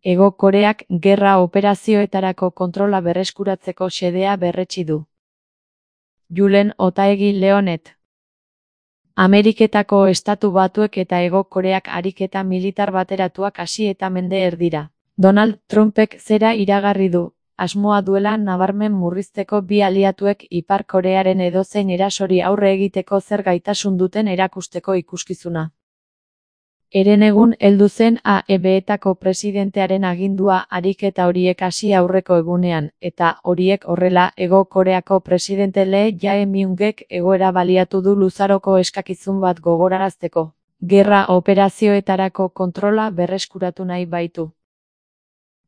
Hego Koreak gerra operazioetarako kontrola berreskuratzeko xedea berretsi du. Julen Otaegi Leonet. Ameriketako Estatu Batuek eta Hego Koreak ariketa militar bateratuak hasi eta mende erdira. Donald Trumpek zera iragarri du, asmoa duela nabarmen murrizteko bi aliatuek Ipar Korearen edozein erasori aurre egiteko zer gaitasun duten erakusteko ikuskizuna. Herenegun heldu zen AEB-etako presidentearen agindua ariketa horiek hasi aurreko egunean, eta horiek horrela Hego Koreako presidente Lee Jae-myungek egoera baliatu du luzaroko eskakizun bat gogorarazteko. Gerra operazioetarako kontrola berreskuratu nahi baitu.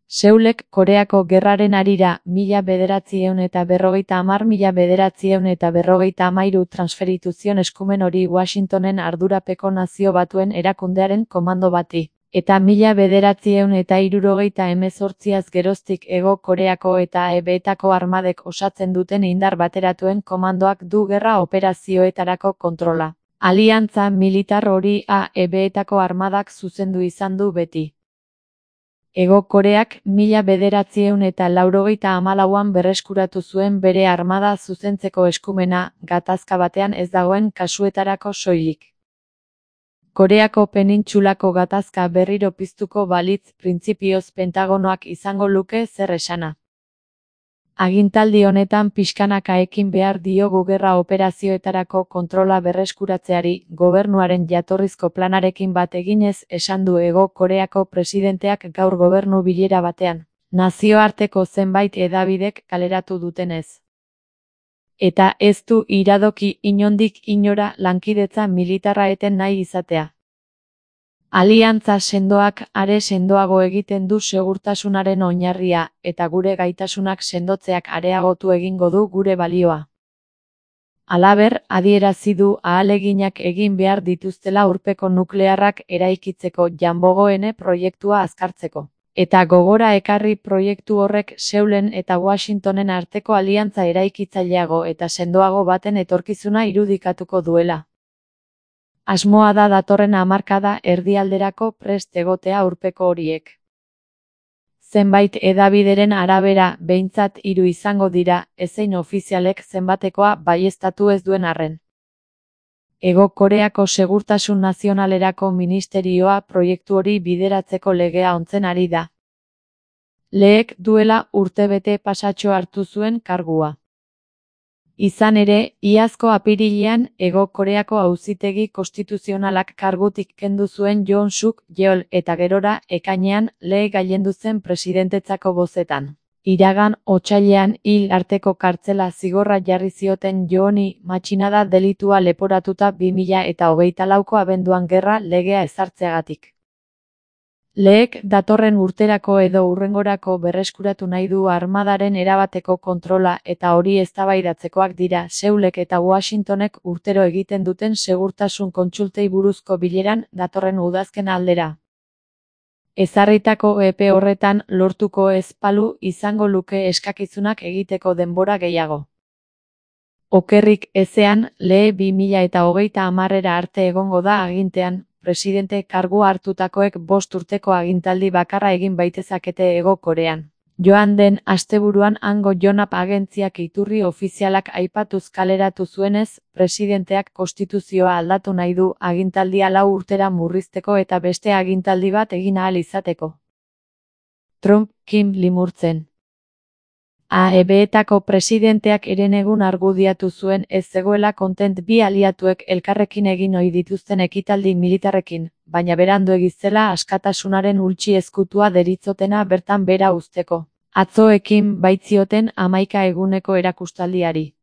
Seulek Koreako gerraren harira 1950–1953 transferitu zion eskumen hori Washingtonen ardurapeko Nazio Batuen erakundearen komando bati, eta 1978az geroztik Hego Koreako eta AEB-etako armadek osatzen duten indar bateratuen komandoak du gerra operazioetarako kontrola. Aliantza militar hori AEB-etako armadak zuzendu izan du beti. Hego Koreak 1994an berreskuratu zuen bere armada zuzentzeko eskumena, gatazka batean ez dagoen kasuetarako soilik. Koreako penintsulako gatazka berriro piztuko balitz printzipioz Pentagonoak izango luke zer esana. Agintaldi honetan pixkanaka ekin behar diogu gerra operazioetarako kontrola berreskuratzeari, gobernuaren jatorrizko planarekin bat eginez esan du Hego Koreako presidenteak gaur gobernu bilera batean, nazioarteko zenbait hedabidek kaleratu dutenez. Eta ez du iradoki inondik inora lankidetza militarra eten nahi izatea. Aliantza sendoak are sendoago egiten du segurtasunaren oinarria, eta gure gaitasunak sendotzeak areagotu egingo du gure balioa. Halaber, adierazi du ahaleginak egin behar dituztela urpeko nuklearrak eraikitzeko Janbogoene proiektua azkartzeko. Eta gogora ekarri proiektu horrek Seulen eta Washingtonen arteko aliantza eraikitzaileago eta sendoago baten etorkizuna irudikatuko duela. Asmoa da datorren hamarkada erdialderako prest egotea urpeko horiek. Zenbait hedabideren arabera, behintzat 3 izango dira, ezein ofizialek zenbatekoa baieztatu ez duen arren. Hego Koreako Segurtasun Nazionalerako Ministerioa proiektu hori bideratzeko legea ontzen ari da. Leek duela urtebete pasatxo hartu zuen kargua. Izan ere, iazko apirilean Hego Koreako Auzitegi Konstituzionalak kargutik kendu zuen Yoon Suk Yeol eta gerora ekainean Lee gailendu zen presidentetzako bozetan. Iragan otsailean hil arteko kartzela zigorra jarri zioten Yooni matxinada delitua leporatuta 2024ko abenduan gerra legea ezartzeagatik. Leek datorren urterako edo hurrengorako berreskuratu nahi du armadaren erabateko kontrola eta hori eztabaidatzekoak dira Seulek eta Washingtonek urtero egiten duten segurtasun kontsultei buruzko bileran datorren udazken aldera. Ezarritako epe horretan lortuko ez balu izango luke eskakizunak egiteko denbora gehiago. Okerrik ezean, Lee 2030era arte egongo da agintean, presidente kargua hartutakoek 5 urteko agintaldi bakarra egin baitezakete Hego Korean. Joan den asteburuan hango Yonhap agentziak iturri ofizialak aipatuz kaleratu zuenez, presidenteak konstituzioa aldatu nahi du agintaldia 4 urtera murrizteko eta beste agintaldi bat egin ahal izateko. Trump, Kim limurtzen. AEB-etako presidenteak herenegun argudiatu zuen ez zegoela kontent bi aliatuek elkarrekin egin ohi dituzten ekitaldi militarrekin, baina beranduegi zela askatasunaren ultsi ezkutua deritzotena bertan bera uzteko. Atzoekin baitzioten 11 eguneko erakustaldiari.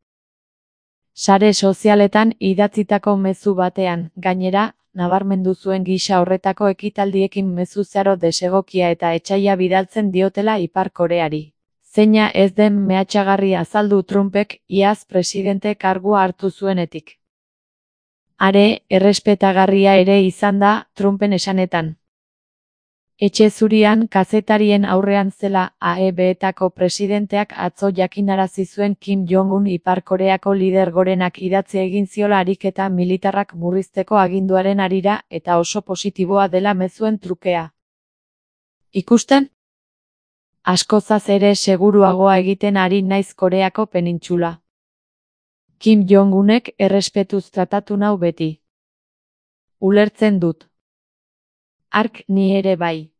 Sare sozialetan idatzitako mezu batean, gainera, nabarmendu zuen gisa horretako ekitaldiekin mezu zeharo desegokia eta etsaia bidaltzen diotela Ipar Koreari. Zeina ez den mehatxagarri azaldu Trumpek iaz presidente kargua hartu zuenetik. Are, errespetagarria ere izan da Trumpen esanetan. Etxe zurian kazetarien aurrean zela AEB-etako presidenteak atzo jakinarazi zuen Kim Jong-un Ipar Koreako lider gorenak idatzi egin ziola ariketa militarrak murrizteko aginduaren harira eta oso positiboa dela mezuen trukea. Ikusten? Askozaz ere seguruagoa egiten ari naiz Koreako penintxula. Kim Jong-unek errespetuz tratatu nau beti. Ulertzen dut. Hark ni ere bai.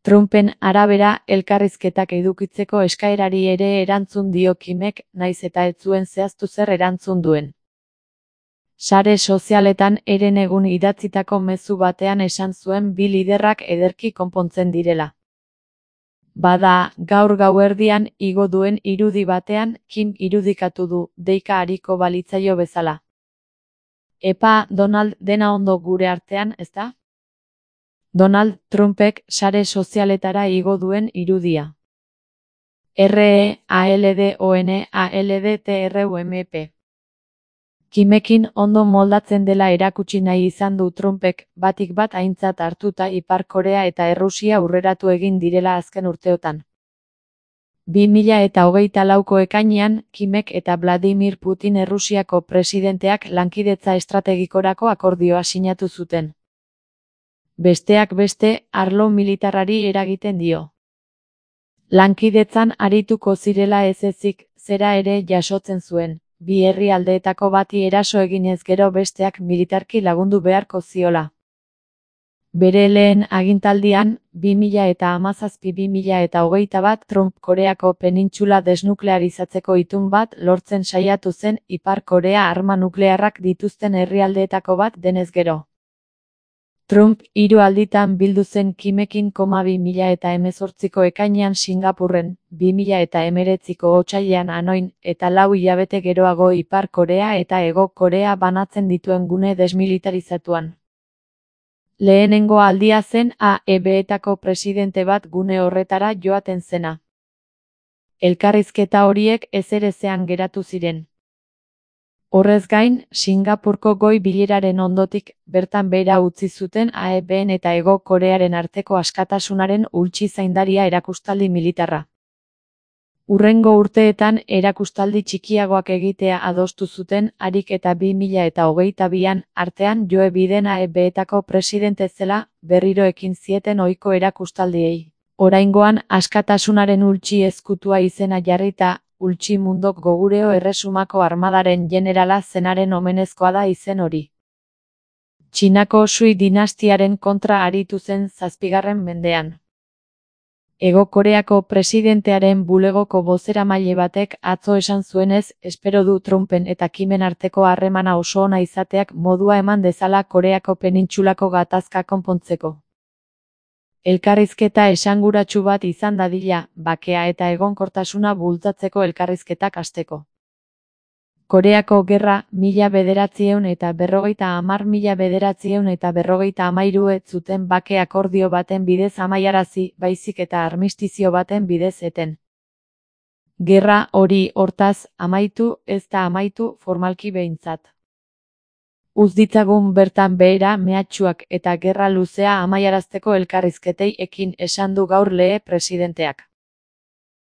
Trumpen arabera elkarrizketak edukitzeko eskaerari ere erantzun dio Kimek, naiz eta ez zuen zehaztu zer erantzun duen. Sare sozialetan herenegun idatzitako mezu batean esan zuen bi liderrak ederki konpontzen direla. Bada, gaur gauerdian igo duen irudi batean, Kim irudikatu du, deika ariko balitzaio bezala. Epa, Donald, dena ondo gure artean, ezta? Donald Trumpek sare sozialetara igo duen irudia. REALDONALDTRUMP. Kimekin ondo moldatzen dela erakutsi nahi izan du Trumpek, batik bat aintzat hartuta Ipar Korea eta Errusia aurreratu egin direla azken urteotan. 2024ko ekainean, Kimek eta Vladimir Putin Errusiako presidenteak lankidetza estrategikorako akordioa sinatu zuten. Besteak beste, arlo militarrari eragiten dio. Lankidetzan arituko zirela ez ezik, zera ere jasotzen zuen, bi herrialdeetako bati eraso eginez gero besteak militarki lagundu beharko ziola. Bere lehen agintaldian, 2017-2021 Trump Koreako penintxula desnuklearizatzeko itun bat lortzen saiatu zen Ipar Korea arma nuklearrak dituzten herrialdeetako bat denez gero. Trump 3 alditan bildu zen Kimekin, 2018ko ekainean Singapurren, 2019ko otsailean Hanoin, eta 4 hilabete geroago Ipar Korea eta Hego Korea banatzen dituen gune desmilitarizatuan. Lehenengo aldia zen AEB-etako presidente bat gune horretara joaten zena. Elkarrizketa horiek ezerezean geratu ziren. Horrez gain, Singapurko goi bileraren ondotik, bertan behera utzi zuten AEB-en eta Hego Korearen arteko askatasunaren ultsi zaindaria erakustaldi militarra. Hurrengo urteetan erakustaldi txikiagoak egitea adostu zuten, harik eta 2022an artean Joe Biden AEB-etako presidente zela, berriro ekin zieten ohiko erakustaldiei. Oraingoan askatasunaren ultsi ezkutua izena jarrita, Ultsi Mundok Gogureo Erresumako armadaren generala zenaren omenezkoa da izen hori. Txinako Sui dinastiaren kontra aritu zen 7. mendean. Hego Koreako presidentearen bulegoko bozeramaile batek atzo esan zuenez, espero du Trumpen eta Kimen arteko harremana oso ona izateak modua eman dezala Koreako penintxulako gatazka konpontzeko. Elkarrizketa esanguratsu bat izan dadila, bakea eta egonkortasuna bultzatzeko elkarrizketak hasteko. Koreako Gerra 1950-1953 ez zuten bake akordio baten bidez amaiarazi, baizik eta armistizio baten bidez eten. Gerra hori, hortaz, amaitu, ez da amaitu, formalki behintzat. Uz ditzagun bertan behera mehatxuak eta gerra luzea amaiarazteko elkarrizketei ekin esan du gaur Lee presidenteak.